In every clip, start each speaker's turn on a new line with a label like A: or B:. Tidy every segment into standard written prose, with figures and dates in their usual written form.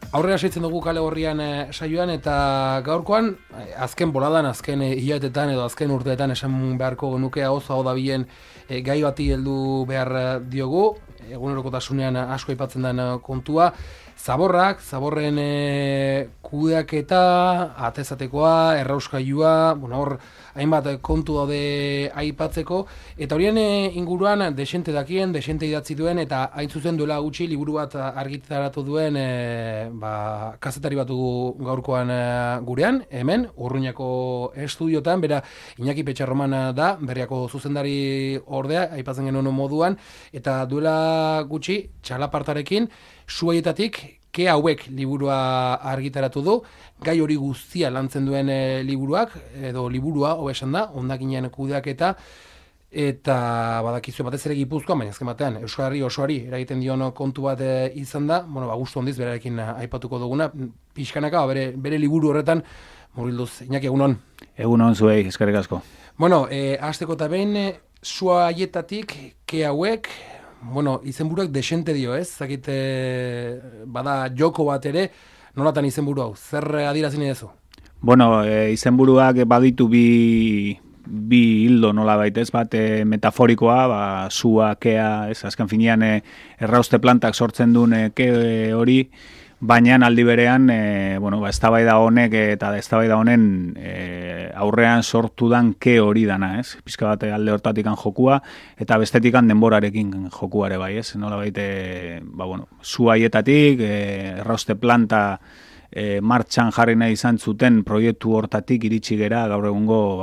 A: Aurrera segitzen dugu Kale Gorrian saioan eta gaurkoan azken boladan, azken hilabetetan edo azken urteetan esan beharko genuke hau dabilen gai bati heldu behar diogu, egunerokotasunean asko aipatzen den kontua, zaborren kudeaketa, atezatekoa, errauskailua, hor hainbat kontu daude aipatzeko, eta horien inguruan desente dakien, desente idatzi duen, eta hain zuzen duela gutxi liburu bat argitaratu duen kazetari bat dugu gaurkoan gurean, hemen, Urruñako estudiotan, bera Iñaki Petxarroman da, Berriako zuzendari ordea, aipatzen genuen moduan, eta duela gutxi, txalapartarekin, Zuaietatik, Ke hauek liburua argitaratu du, gai hori guztia lantzen duen liburua, hobesan da, hondakinen kudeaketa, eta badakizue batez ere Gipuzkoan, baina azken batean, Euskal osoari eragiten dion kontu bat izan da, gustu handiz berarekin aipatuko duguna, pixkanaka, bere liburu horretan, murgilduz, Iñaki, egunon.
B: Egunon zuei, eskerrik asko.
A: Hasteko eta behin, Zuaietatik, Ke hauek, izenburuak desente dio, ez? Zakit, bada joko bat ere, nolatan izenburu hau? Zer adierazin edezu?
B: Izenburuak baditu bi hildo nola baitez, bat metaforikoa, zua, kea, ez? Azken finean errauste plantak sortzen duen ke hori, baina aldi berean, eztabaida honek eta eztabaida honen aurrean sortu dan ke hori dana, ez? Pizka bat alde hortatikan jokua, eta bestetikan denborarekin jokuare bai, ez? Nola baite, Zuaietatik, errauste planta martxan jarri nahi izan zuten proiektu hortatik iritsi gera gaur egungo,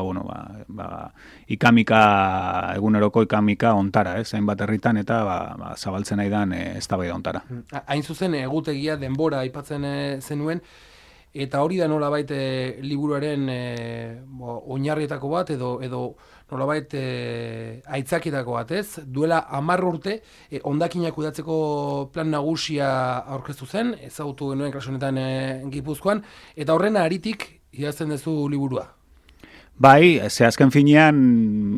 B: eguneroko ikamika ontara, ez? Hainbat herritan eta zabaltzen nahi dan eztabaida ontara.
A: Hain zuzen egutegia denbora aipatzen zenuen, eta hori da nolabait liburuaren oinarrietako bat edo nolabait aitzakitako bat, ez? Duela 10 urte hondakinak kudeatzeko plan nagusia aurkeztu zen, ezagutu genuen kasu honetan Gipuzkoan, eta horren haritik idazten duzu liburua.
B: Bai, azken finean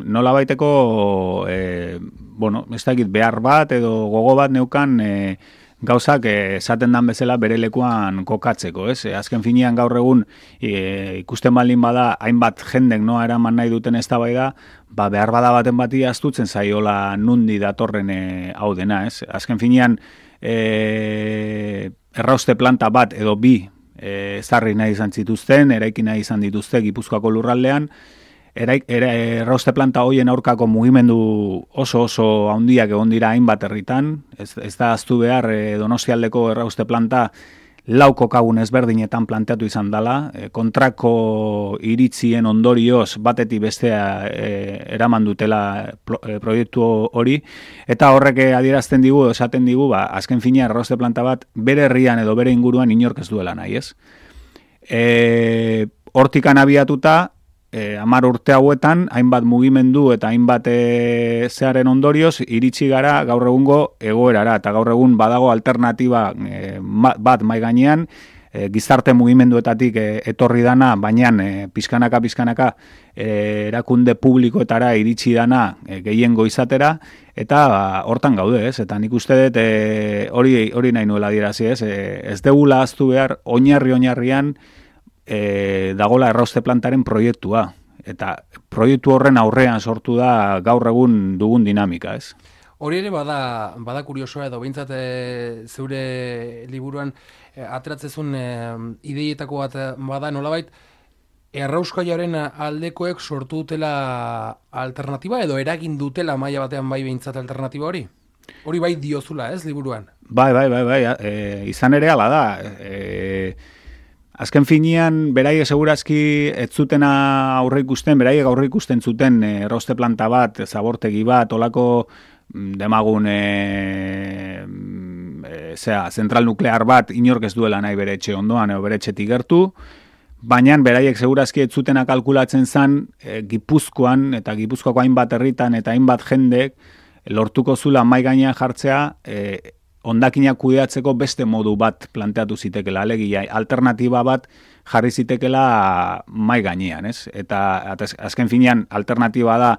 B: nolabaiteko ez dakit behar bat edo gogo bat neukan gauzak esaten dan bezala bere lekuan kokatzeko, ez? Azken finean gaur egun ikusten baldin bada hainbat jendek noa eraman nahi duten eztabaida, behar bada baten bati astutzen zaiola nundi datorren hau dena, ez? Azken finean errauste planta bat edo bi ezarri nahi izan zituzten, eraiki nahi izan dituzte Gipuzkoako lurraldean, errauste planta hoien aurkako mugimendu oso handiak egon dira hainbat herritan, ez da ahaztu behar Donostialdeko errauste planta lau kokagun ezberdinetan planteatu izan dela, kontrako iritzien ondorioz batetik bestea eraman dutela proiektu hori, eta horrek adierazten digu, esaten digu, azken fina errauste planta bat bere herrian edo bere inguruan inork ez duela nahi, ez? Hortikan abiatuta, 10 urte hauetan, hainbat mugimendu eta hainbat zearen ondorioz, iritsi gara gaur egungo egoerara, eta gaur egun badago alternatiba bat mai gainean, gizarte mugimenduetatik etorri dana, baina pizkanaka erakunde publikoetara iritsi dana gehiengo izatera, eta hortan gaude, ez? Eta nik uste dut hori nahi nuela adierazi, ez? Ez degula ahaztu behar oinarrian dagola errauste plantaren proiektua. Eta proiektu horren aurrean sortu da gaur egun dugun dinamika, ez?
A: Hori ere bada kuriosoa edo behintzat zeure liburuan ateratzezun ideietako bat bada nolabait errauskailaren aldekoek sortu dutela alternatiba edo eragin dutela maila batean bai behintzat alternatiba hori? Hori bai diozula, ez, liburuan?
B: Bai, izan ere hala da. Azken finean, beraiek segurazki ez zuten beraiek aurre ikusten zuten errauste planta bat, zabortegi bat, olako demagun zentral nuklear bat inork ez duela nahi bere etxe ondoan edo bere etxetik gertu, baina beraiek segurazki ez zutena kalkulatzen zen Gipuzkoan eta Gipuzkoako hainbat herritan eta hainbat jendek lortuko zula mai gainean jartzea hondakinak kudeatzeko beste modu bat planteatu zitekela, alegia alternatiba bat jarri zitekela mai gainean, ez? Eta azken finean alternatiba da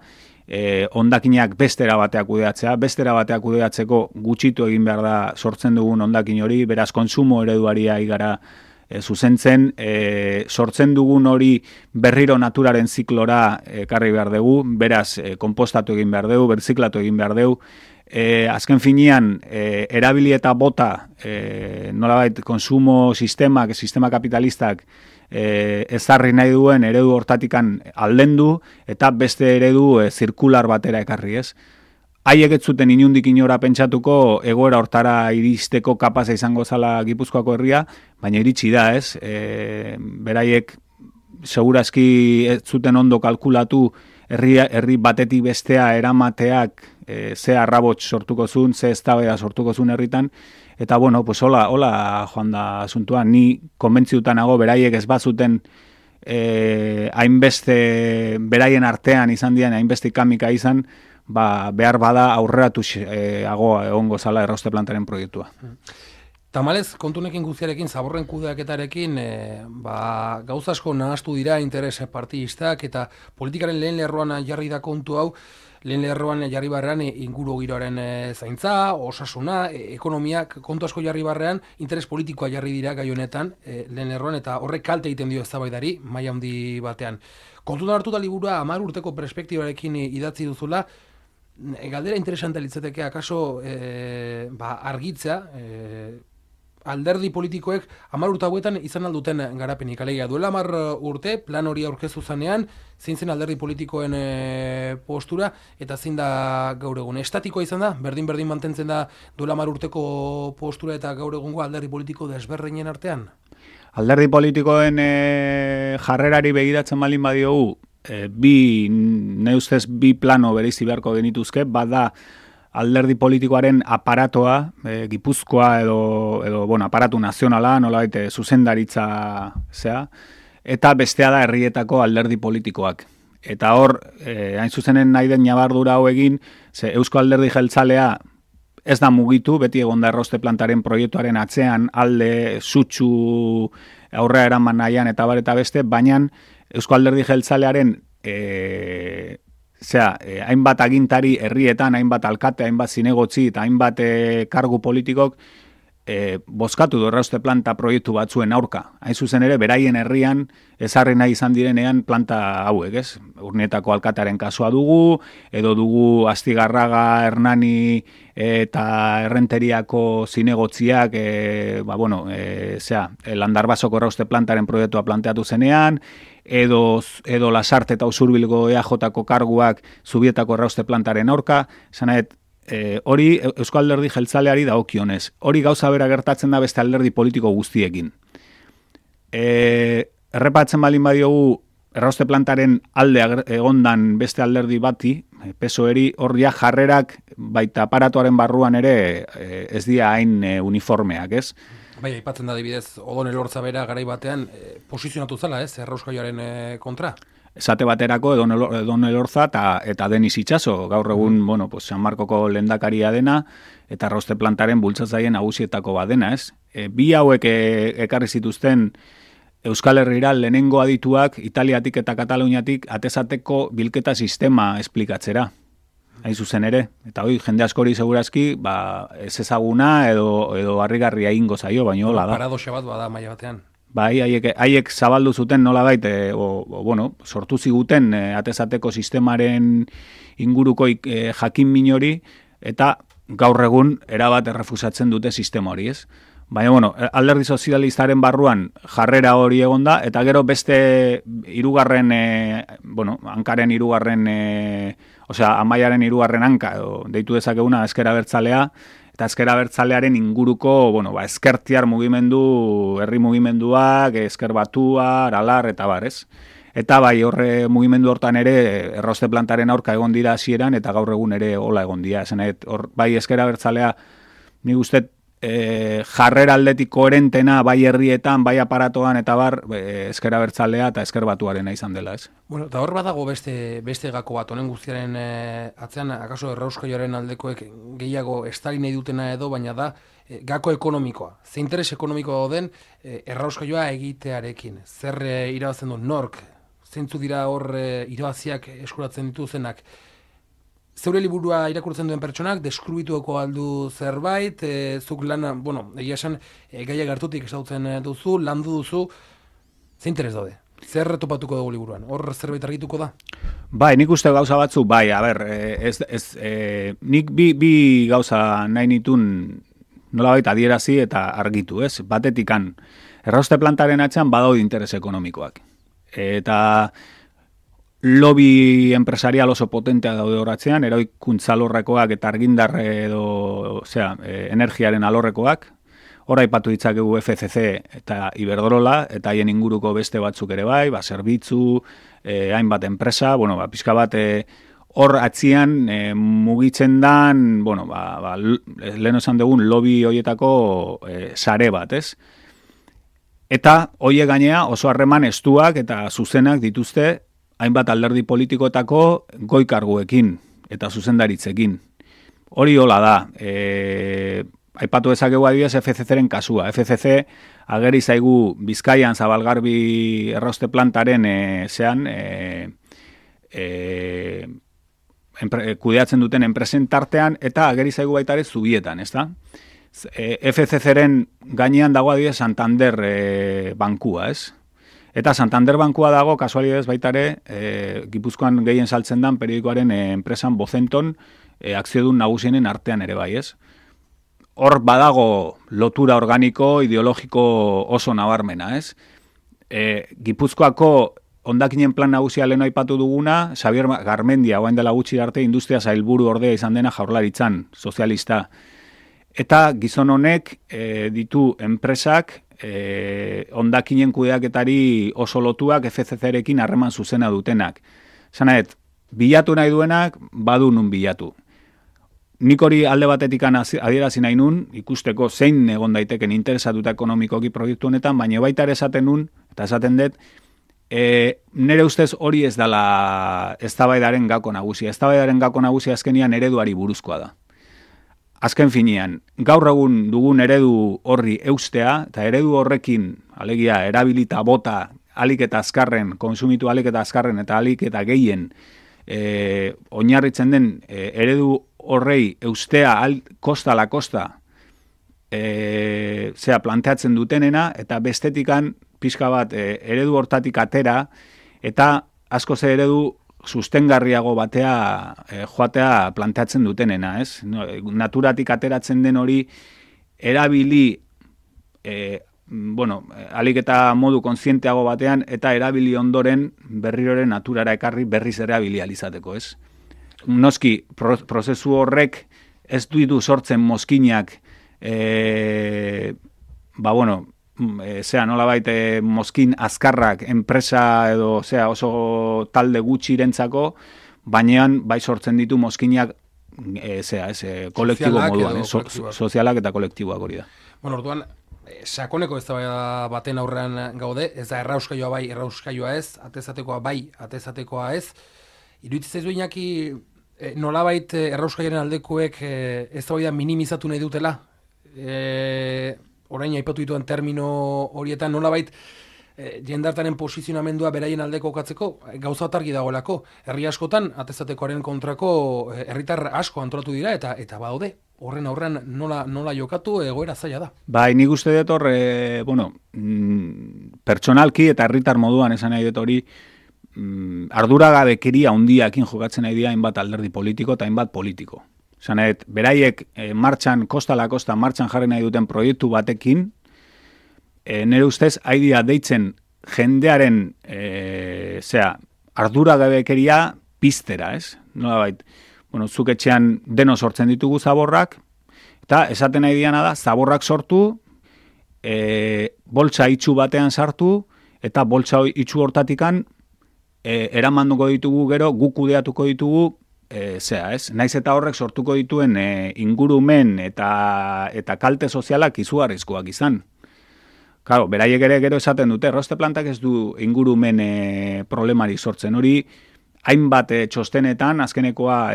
B: hondakinak bestera bateak kudeatzea, bestera bateak kudeatzeko gutxitu egin behar da sortzen dugun hondakin hori, beraz kontsumo ereduari gara zuzentzen, sortzen dugun hori berriro naturaren ziklora ekarri behar dugu, beraz konpostatu egin behar dugu, berziklatu egin behar dugu, azken finean, erabili eta bota, nolabait konsumo sistema kapitalistak ezarri nahi duen eredu hortatikan aldendu eta beste eredu zirkular batera ekarri, ez? Haiek ez zuten inundik inora pentsatuko egoera hortara iristeko kapaza izango zala Gipuzkoako herria, baina iritsi da, ez? Beraiek segurazki ez zuten ondo kalkulatu herri batetik bestea eramateak ze arrabots sortuko zuen, ze eztabaida sortuko zuen herritan, eta bueno, pues hola joan da asuntua, ni konbentziuta nago beraiek ez bazuten hainbeste beraien artean izan dian hainbeste kamika izan, behar bada aurreratu egongo zala errauste plantaren proiektua.
A: Tamalez, kontunekin guztiarekin, zaborren kudeaketarekin, gauza asko nahastu dira interes partidistak eta politikaren lehen lerroan jarri da kontu hau, lehen lerroan jarri barrean inguru giroaren zaintza, osasuna, ekonomiak kontu asko jarri barrean, interes politikoa jarri dira gai honetan, lehen lerroan, eta horrek kalte egiten dio eztabaidari maila handi batean. Kontutan hartuta liburua 10 urteko perspektibarekin idatzi duzula, galdera interesante litzateke akaso argitzea, alderdi politikoek 10 urte hauetan izan alduten garapenik. Alegia, duela 10 urte, plan hori aurkeztu zanean, zein zen alderdi politikoen postura, eta zein da gaur egun. Estatikoa izan da, berdin mantentzen da duela 10 urteko postura eta gaur egungo alderdi politiko desberdinen artean?
B: Alderdi politikoen jarrerari begiratzen balin badiogu, ne ustez bi plano bereizi beharko genituzke, bada alderdi politikoaren aparatoa, Gipuzkoa edo aparatu nazionala, nolabait zuzendaritza zea, eta bestea da herrietako alderdi politikoak. Eta hor, hain zuzenen nahi den nabardura hau egin, ze Eusko Alderdi Jeltzalea ez da mugitu, beti egon da errauste plantaren proiektuaren atzean, alde, sutsu, aurrea eraman nahian eta bar eta beste, baina Eusko Alderdi Jeltzalearen hainbat agintari herrietan, hainbat alkate, hainbat zinegotzi eta hainbat kargu politikok bozkatu du errauste planta proiektu batzuen aurka. Hain zuzen ere, beraien herrian ezarri nahi izan direnean planta hauek, ez? Urnietako alkatearen kasua dugu, edo dugu Astigarraga, Hernani eta Errenteriako zinegotziak, Landarbasoko errauste plantaren proiektua planteatu zenean, edo Lasarte eta Usurbilgo EAJ-ko karguak Zubietako errauste plantaren aurka, esanet, hori Eusko Alderdi Jeltzaleari dagokionez. Hori gauza bera gertatzen da beste alderdi politiko guztiekin. Errepatzen balin badiogu errauste plantaren alde egondan beste alderdi bati, PSOE-ri, hor ja jarrerak baita aparatuaren barruan ere ez dira hain uniformeak, ez?
A: Bai, aipatzen da adibidez, Odon Elorza bera garai batean posizionatu zala, ez, errauskaioaren kontra?
B: Esate baterako Edon Elorza eta Denis Itxaso, gaur egun, San Markoko lehendakaria dena, eta errauste plantaren bultzatzaile nagusietako badena, ez? Bi hauek ekarri zituzten Euskal Herrira lehenengo adituak Italiatik eta Kataluniatik atezateko bilketa sistema esplikatzera. Hain zuzen ere, eta hoi jende askori segurazki, ez ezaguna edo harrigarria ingo zaio, baina hola da.
A: Paradoxa bat bada maila batean.
B: Bai, haiek zabaldu zuten nolabait, sortu ziguten atezateko sistemaren inguruko jakin minori, eta gaur egun erabat errefusatzen dute sistema hori, ez? Baina, alderdi sozialistaren barruan jarrera hori egonda, eta gero beste hirugarren, hankaren hirugarren, Amaiaren hirugarren hanka, deitu dezakeguna Ezker Abertzalea, eta Ezker Abertzalearen inguruko, ezkertiar mugimendu, herri mugimenduak, Ezker Batua, Aralar, eta barez. Eta bai, horre mugimendu hortan ere, errauste plantaren aurka egon dira hasieran eta gaur egun ere hola egon dira. Bai, Ezker Abertzalea, nik uste, jarrera aldetik koherentena, bai herrietan, bai aparatoan, eta bar, Ezker Abertzalea eta Ezker Batuarena izan dela, ez?
A: Eta hor badago beste gako bat, honen guztiaren atzean, akaso errauskaioaren aldekoek gehiago estali nahi dutena edo, baina da, gako ekonomikoa. Ze interes ekonomikoa den errauskaioa egitearekin. Zer irabazten du nork? Zeintzu dira hor irabaziak eskuratzen dituzenak? zeure liburua irakurtzen duen pertsonak, deskribituko aldu zerbait, zuk lana, egia esan, gaia gertutik esautzen duzu, landu duzu, ze interes daude? Zer topatuko dugu liburuan? Hor zerbait argituko da?
B: Bai, nik uste gauza batzu, bai, nik bi gauza nahi nitun nolabait adierazi eta argitu, ez? Batetikan, errauste plantaren atzean badaude interes ekonomikoak. Eta lobby empresarial oso potentea daude horatzean, eroikuntza alorrekoak eta argindar edo, energiaren alorrekoak, hor aipatu ditzakegu FCC eta Iberdrola, eta haien inguruko beste batzuk ere bai, zerbitzu, hainbat enpresa, pixka bat hor atzian mugitzen dan, lehen esan dugun lobby horietako sare bat, ez? Eta hoie gainea oso harreman estuak eta zuzenak dituzte hainbat alderdi politikoetako goi-karguekin eta zuzendaritzekin. Hori hola da, aipatu dezakegu adibidez FCC-ren kasua. FCC ageri zaigu Bizkaian Zabalgarbi errauste plantaren kudeatzen duten enpresen tartean eta ageri zaigu baita ere Zubietan, ezta? FCC-ren gainean dago adibidez Santander bankua, ez? Eta Santander bankua dago, kasualidez baita ere, Gipuzkoan gehien saltzen dan periodikoaren enpresan Bozenton akziodun nagusienen artean ere bai, ez? Hor badago lotura organiko, ideologiko oso nabarmena, ez? Gipuzkoako hondakinen plan nagusia lehen aipatu duguna, Xabier Garmendia, oain dela gutxi arte, industria sailburu ordea izan dena Jaurlaritzan, sozialista. Eta gizon honek ditu enpresak hondakinen kudeaketari oso lotuak FCC-rekin harreman zuzena dutenak. Zanaet, bilatu nahi duenak, badu nun bilatu. Nik hori alde batetik adierazi nahi nun, ikusteko zein egon daiteken interesatuta ekonomikoki proiektu honetan, baina baita ere esaten nun, eta esaten dut, nire ustez hori ez dela eztabaidaren gako nagusia. Eztabaidaren gako nagusia azkenian ereduari buruzkoa da. Azken finean, gaur egun dugun eredu horri eustea, eta eredu horrekin, alegia, erabilita bota, alik eta azkarren, konsumitu alik eta azkarren, eta alik eta gehien, oinarritzen den eredu horrei eustea kosta la kosta planteatzen dutenena, eta bestetikan pixka bat eredu hortatik atera, eta askoz eredu sustengarriago batea joatea planteatzen dutenena, ez? Naturatik ateratzen den hori erabili alik eta modu kontzienteago batean eta erabili ondoren berriroren naturara ekarri berriz erabili alizateko, ez? Noski, prozesu horrek ez ditu sortzen mozkinak nolabait mozkin azkarrak enpresa edo oso talde gutxirentzako, baina bai sortzen ditu mozkinak kolektibo moduan, sozialak eta kolektiboak hori da.
A: Orduan, sakoneko eztabaida baten aurrean gaude, ez da errauskailua bai, errauskailua ez, atezatekoa bai, atezatekoa ez. Iruditzen zaizu Iñaki, nolabait errauskailaren aldekoek eztabaida minimizatu nahi dutela? Orain aipatu dituen termino horietan nolabait jendartaren posizionamendua beraien aldeko kokatzeko gauza bat argi dagoelako. Herri askotan atezatekoaren kontrako herritar asko antolatu dira eta badaude. Horren aurrean nola jokatu egoera zaila da.
B: Bai, nik uste dut hor, pertsonalki eta herritar moduan esan nahi dut hori, arduragabekeria handiakin jokatzen nahi dira hainbat alderdi politiko eta hainbat politiko. Zanet, beraiek kosta la kosta martxan jarri nahi duten proiektu batekin, nire ustez, haidia deitzen jendearen arduragabekeria piztera, ez? Nolabait, zuk etxean deno sortzen ditugu zaborrak, eta esaten nahi diana da, zaborrak sortu, boltsa itxu batean sartu, eta boltsa itxu hortatikan eramanduko ditugu gero, guk kudeatuko ditugu, naiz eta horrek sortuko dituen ingurumen eta kalte sozialak izugarrizkoak izan. Claro, beraiek ere gero esaten dute, errauste plantak ez du ingurumen problemari sortzen. Hori, hainbat txostenetan, azkenekoa,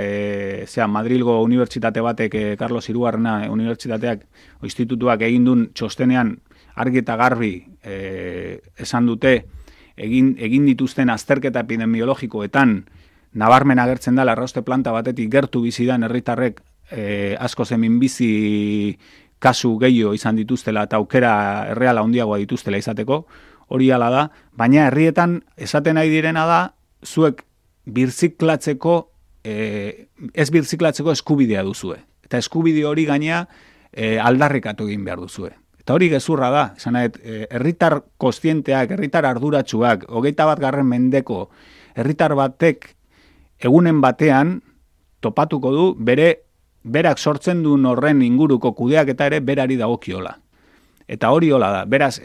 B: Madrilgo unibertsitate batek, Carlos Hirugarrena unibertsitateak, institutuak egin duen txostenean argi eta garbi esan dute, egin dituzten azterketa epidemiologikoetan, nabarmen agertzen da arrauste planta batetik gertu bizidan herritarrek asko zemin bizi kasu gehiago izan dituztela eta aukera erreala handiagoa dituztela izateko, hori hala da, baina herrietan esaten nahi direna da, zuek birziklatzeko, ez birziklatzeko eskubidea duzue. Eta eskubide hori gainea aldarrikatu egin behar duzue. Eta hori gezurra da, esan herritar kostienteak, herritar arduratsuak, 21. mendeko herritar batek egunen batean topatuko du berak sortzen duen horren inguruko kudeak eta ere berari dagokiola. Eta hori hola da, beraz,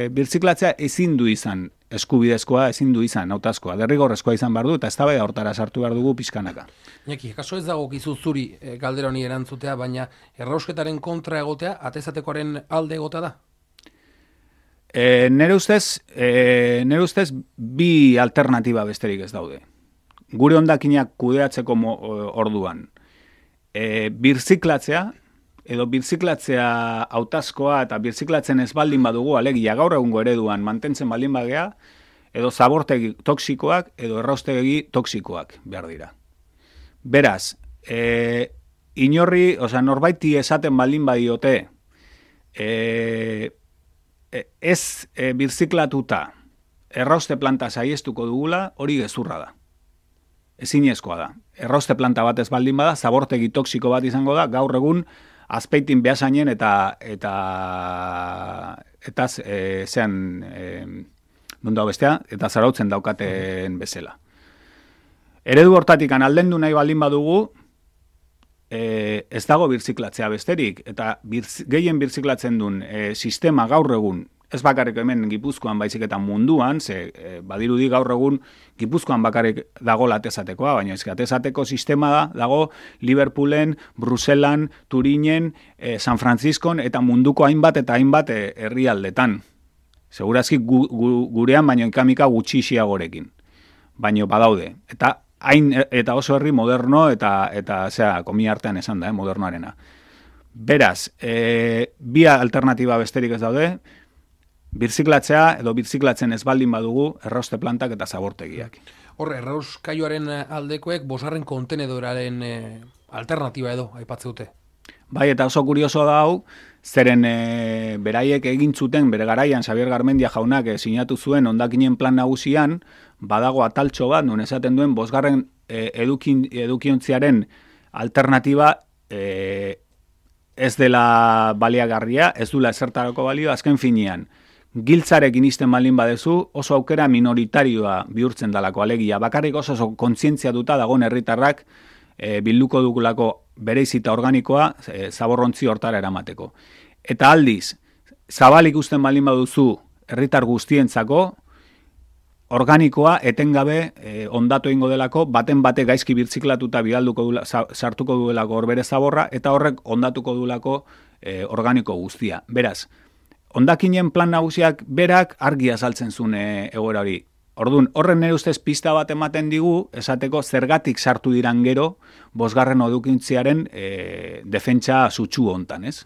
B: birziklatzea ezin du izan eskubidezkoa, ezin du izan hautazkoa, derrigorrezkoa izan behar du, eta eztabaida hortara sartu behar dugu pixkanaka.
A: Iñaki, kaso ez dago gizu zuri galdera honi erantzutea, baina errausketaren kontra egotea, atezatekoaren alde egotea da?
B: Nere ustez bi alternatiba besterik ez daude. Gure hondakinak kudeatzeko orduan. Birziklatzea, edo birziklatzea hautazkoa eta birziklatzen ez baldin badugu, alegia gaur egungo ereduan mantentzen baldin bagea, edo zabortegi toksikoak, edo erraustegi toksikoak behar dira. Beraz, norbaiti esaten baldin badiote, ez birziklatuta errauste planta saiestuko dugula, hori gezurra da. Ezinezkoa da. Errauste planta bat ez baldin bada, zabortegi toksiko bat izango da, gaur egun Azpeitin Beasainen eta Zarautzen daukaten bezala. Eredu hortatik aldendu nahi baldin badugu, ez dago birziklatzea besterik, eta gehien birziklatzen duen sistema gaur egun, ez bakarrik hemen Gipuzkoan baizik eta munduan, badirudi gaur egun Gipuzkoan bakarrik dago atezatekoa, baina atezateko sistema dago Liverpoolen, Bruselan, Turinen, San Franciscon eta munduko hainbat eta hainbat herrialdetan. Segurazki gurean baino ikamika gutxixiagorekin. Baino badaude. Eta oso herri moderno eta komi artean esan da, modernoarena. Beraz, bi alternatiba besterik ez daude, birziklatzea edo birziklatzen ez baldin badugu errauste plantak eta zabortegiak.
A: Horre, errauskailuaren aldekoek bosgarren kontenedoraren alternatiba edo aipatze dute.
B: Bai, eta oso kurioso da hau, zeren beraiek egin zuten, bere garaian Xabier Garmendia jaunak sinatu zuen hondakinen plan nagusian, badago ataltxo bat, non esaten duen bosgarren edukiontziaren alternatiba ez dela baliagarria, ez dula ezertarako balio, azken finean. Giltzarekin izten baldin badezu, oso aukera minoritarioa bihurtzen dalako alegia. Bakarrik oso kontzientzia duta dagoen herritarrak bilduko dugulako bereizita organikoa zaborrontzi hortara eramateko. Eta aldiz, zabalik usten baldin baduzu herritar guztientzako, organikoa etengabe ondatu egingo delako, baten bate gaizki birziklatuta sartuko duelako horbere zaborra, eta horrek ondatuko duelako organiko guztia. Beraz, hondakinen plan nagusiak berak argi azaltzen zuen egoera hori. Orduan, horren nire ustez pista bat ematen digu, esateko zergatik sartu diran gero, bosgarren edukiontziaren defentsa sutsu hontan, ez?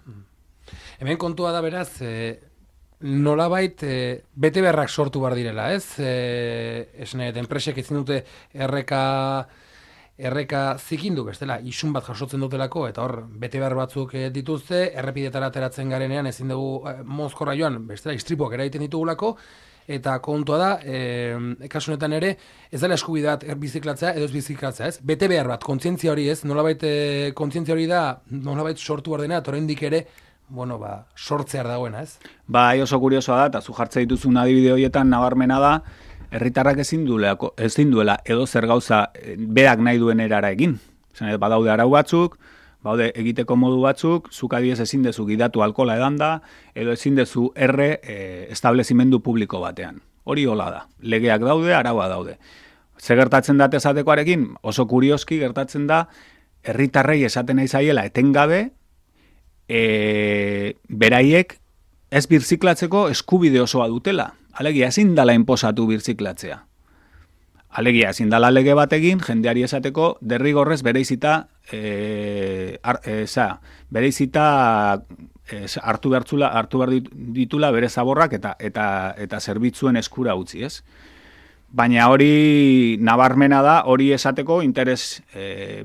A: Hemen kontua da beraz, nolabait bete beharrak sortu behar direla, ez? Enpresek ezin dute erreka zikindu, bestela, isun bat jasotzen dutelako, eta hor, bete behar batzuk dituzte, errepidetara ateratzen garenean ezin dugu mozkorra joan, bestela, istripuak eraiten ditugulako, eta kontua da, kasunetan ere, ez dela eskubidat biziklatzea edo ez biziklatzea, ez? Bete behar bat, kontzientzia hori ez, nolabait kontzientzia hori da, nolabait sortu behar dena, eta oraindik ere, sortzear dagoena, ez? Bai,
B: oso kuriosoa da, eta zu jartze dituzun adibide horietan nabarmena da, herritarrak ezin duela edo zer gauza berak nahi duen erara egin. Badaude arau batzuk, baude egiteko modu batzuk, zuk adiez ezin dezu gidatu alkola edanda, edo ezin dezu establezimendu publiko batean. Hori hola da. Legeak daude, araua daude. Ze gertatzen da esatekoarekin? Oso kurioski gertatzen da, herritarrei esaten nahi zaiela etengabe, beraiek ez birziklatzeko eskubide osoa dutela. Alegia, ezin dala inposatu birziklatzea. Alegia, ezin dala lege batekin, jendeari esateko, derrigorrez bereizita hartu behar ditula bere zaborrak eta zerbitzuen eskura utzi, ez? Baina hori nabarmena da, hori esateko interes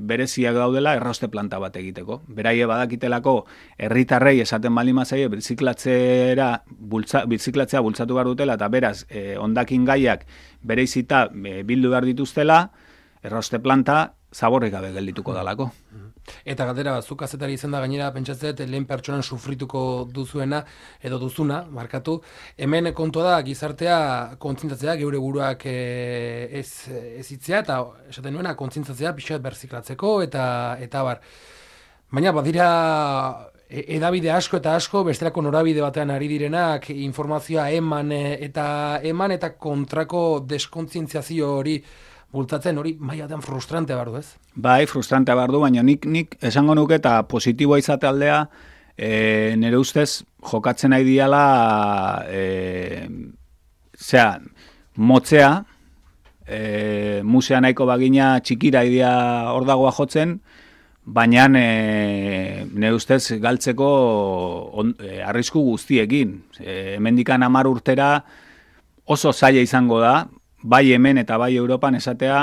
B: bereziak daudela errauste planta bat egiteko. Beraie badakitelako herritarrei esaten baldin bazaie birziklatzea bultzatu behar dutela, eta beraz, hondakin gaiak bereizita bildu behar dituztela, errauste planta zaborrik gabe geldituko dalako.
A: Eta galdera, zuk kazetari izan da gainera pentsatzet lehen pertsonan sufrituko duzuena edo duzuna, markatu. Hemen kontua da gizartea kontzientzatzea, geure buruak ez hitzea eta esaten nuena kontzientzatzea pixat berziklatzeko eta bar. Baina badira edabide asko eta asko bestelako norabide batean ari direnak informazioa eman eta kontrako deskontzientziazio hori bultzatzen, hori mailaten frustrante behar du, ez?
B: Bai, frustrante behar du, baina nik esango nuke eta positiboa izate aldea, nire ustez jokatzen nahi diala motzea, musea nahiko bagina txikira idea hor dagoa jotzen, baina nire ustez galtzeko arrisku guztiekin. Hemendikan 10 urtera oso zaila izango da, bai hemen eta bai Europan esatea,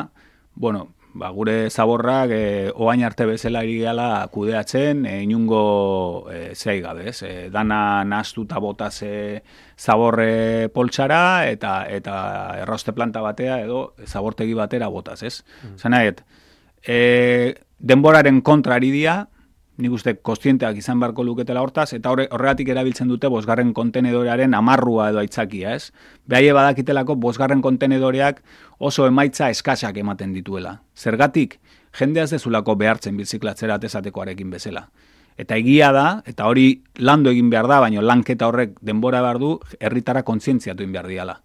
B: gure zaborrak oain arte bezala ari gala kudeatzen, inungo zei gabe, ez? Dana nahastuta botaz zaborre poltsara eta errauste planta batea edo zabortegi batera botaz, ez? Zanaet, denboraren kontra ari dia, nik uste kontzienteak izan beharko luketela hortaz, eta horregatik erabiltzen dute 5. kontenedorearen amarrua edo aitzakia, ez? Behaie badakitelako 5. kontenedoreak oso emaitza eskasak ematen dituela. Zergatik, jendea ez dezulako behartzen birziklatzera atezatekoarekin bezala. Eta egia da, eta hori landu egin behar da, baina lanketa horrek denbora behar du, herritara kontzientziatu egin behar diala.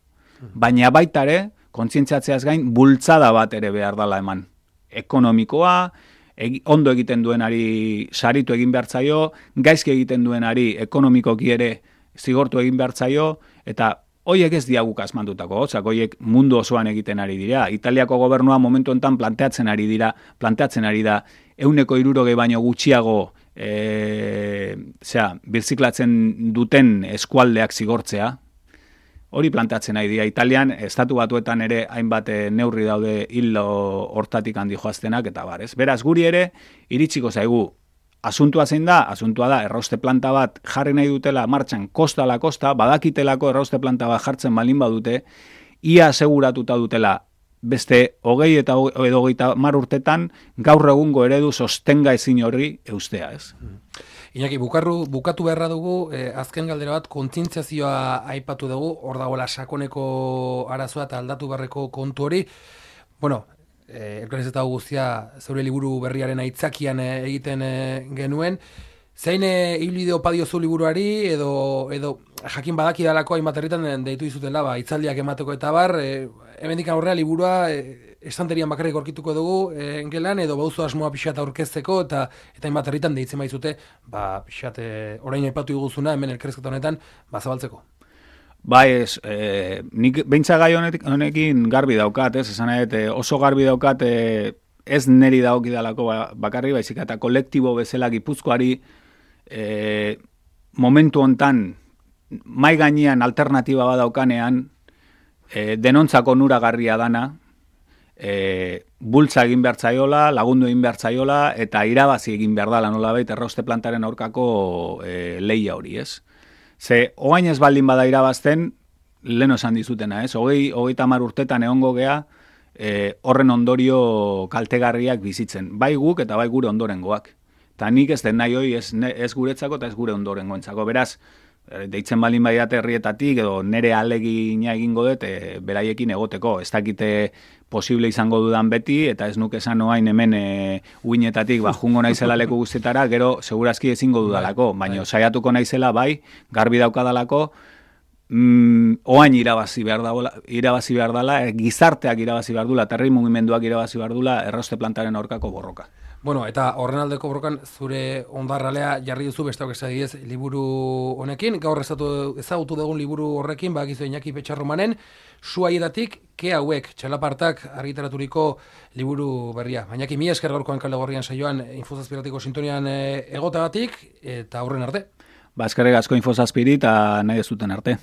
B: Baina baita ere, kontzientziatzeaz gain, bultzada bat ere behar dala eman. Ekonomikoa, ondo egiten duenari saritu egin behar zaio, gaizki egiten duenari ekonomikoki ere zigortu egin behar zaio, eta hoiek ez diaguk asmandutako, hoiek mundu osoan egiten ari dira. Italiako gobernua momentu enten planteatzen ari da, 160 baino gutxiago birziklatzen duten eskualdeak zigortzea. Hori planteatzen ari dira. Italian, estatu batuetan ere hainbat neurri daude hilo hortatik handi joaztenak eta bar, ez? Beraz, guri ere, iritsiko zaigu, asuntua zein da? Asuntua da, errauste planta bat jarri nahi dutela martxan kosta ala kosta, badakitelako errauste planta bat jartzen balin badute, ia aseguratuta dutela beste 20 eta 30 urtetan gaur egungo eredu sostenga ezin horri eustea, ez?
A: Iñaki, bukatu beharra dugu, azken galdera bat, kontzientziazioa aipatu dugu, hor dagoela sakoneko arazoa eta aldatu beharreko kontu hori. Elkarrizketa guztia zeure liburu berriaren aitzakian egiten genuen. Zein ibilbide opa diozu liburuari, edo jakin badakidalako hainbat herritan deitu dizutela, hitzaldiak emateko eta bar, hemendik aurrera liburua estanterian bakarrik aurkituko dugu gelan, edo bauzu asmoa pixat aurkezteko, eta hainbat herritan deitzen baizute, pixat orain aipatu diguzuna, hemen elkarrizketa honetan, zabaltzeko.
B: Bai, nik beintza gai honekin garbi daukat, esan oso garbi daukat, ez neri daukidalako bakarri, baizik eta kolektibo bezala Gipuzkoari momentu hontan mai gainean alternatiba badaukanean, denontzako onuragarria dana, bultza egin behar zaiola, lagundu egin behar zaiola, eta irabazi egin behar dala nolabait errauste plantaren aurkako lehia hori, ez? Ze, oain ez baldin bada irabazten, lehen esan dizutena, ez? 30 urtetan egongo gea, horren ondorio kaltegarriak bizitzen. Bai guk eta bai gure ondorengoak. Eta nik ez den nahi hoi ez guretzako eta ez gure ondorengoentzako. Beraz, deitzen baldin badiate herrietatik edo nere alegina egingo dut beraiekin egoteko. Ez dakite posible izango dudan beti, eta ez nuke esan oain hemen uinetatik jungo naizela leku guztietara, gero segurazki ezingo dudalako, baina saiatuko naizela bai, garbi daukadalako, oain irabazi behar dela, gizarteak irabazi behar dula, herri mugimenduak irabazi behar dula errauste plantaren aurkako borroka.
A: Eta horren aldeko borrokan zure ondarralea jarri duzu besteak esadiez liburu honekin, gaur ezagutu dugun liburu horrekin, bakizu Iñaki Petxarromanen, Suaietatik ke hauek, txalapartak argitaraturiko liburu berria. Iñaki, mila esker gaurkoan Kale Gorrian saioan Infozazpiratiko sintonian egotagatik, eta aurren arte.
B: Eskerrik asko Infozazpiri eta nahi ez duten arte.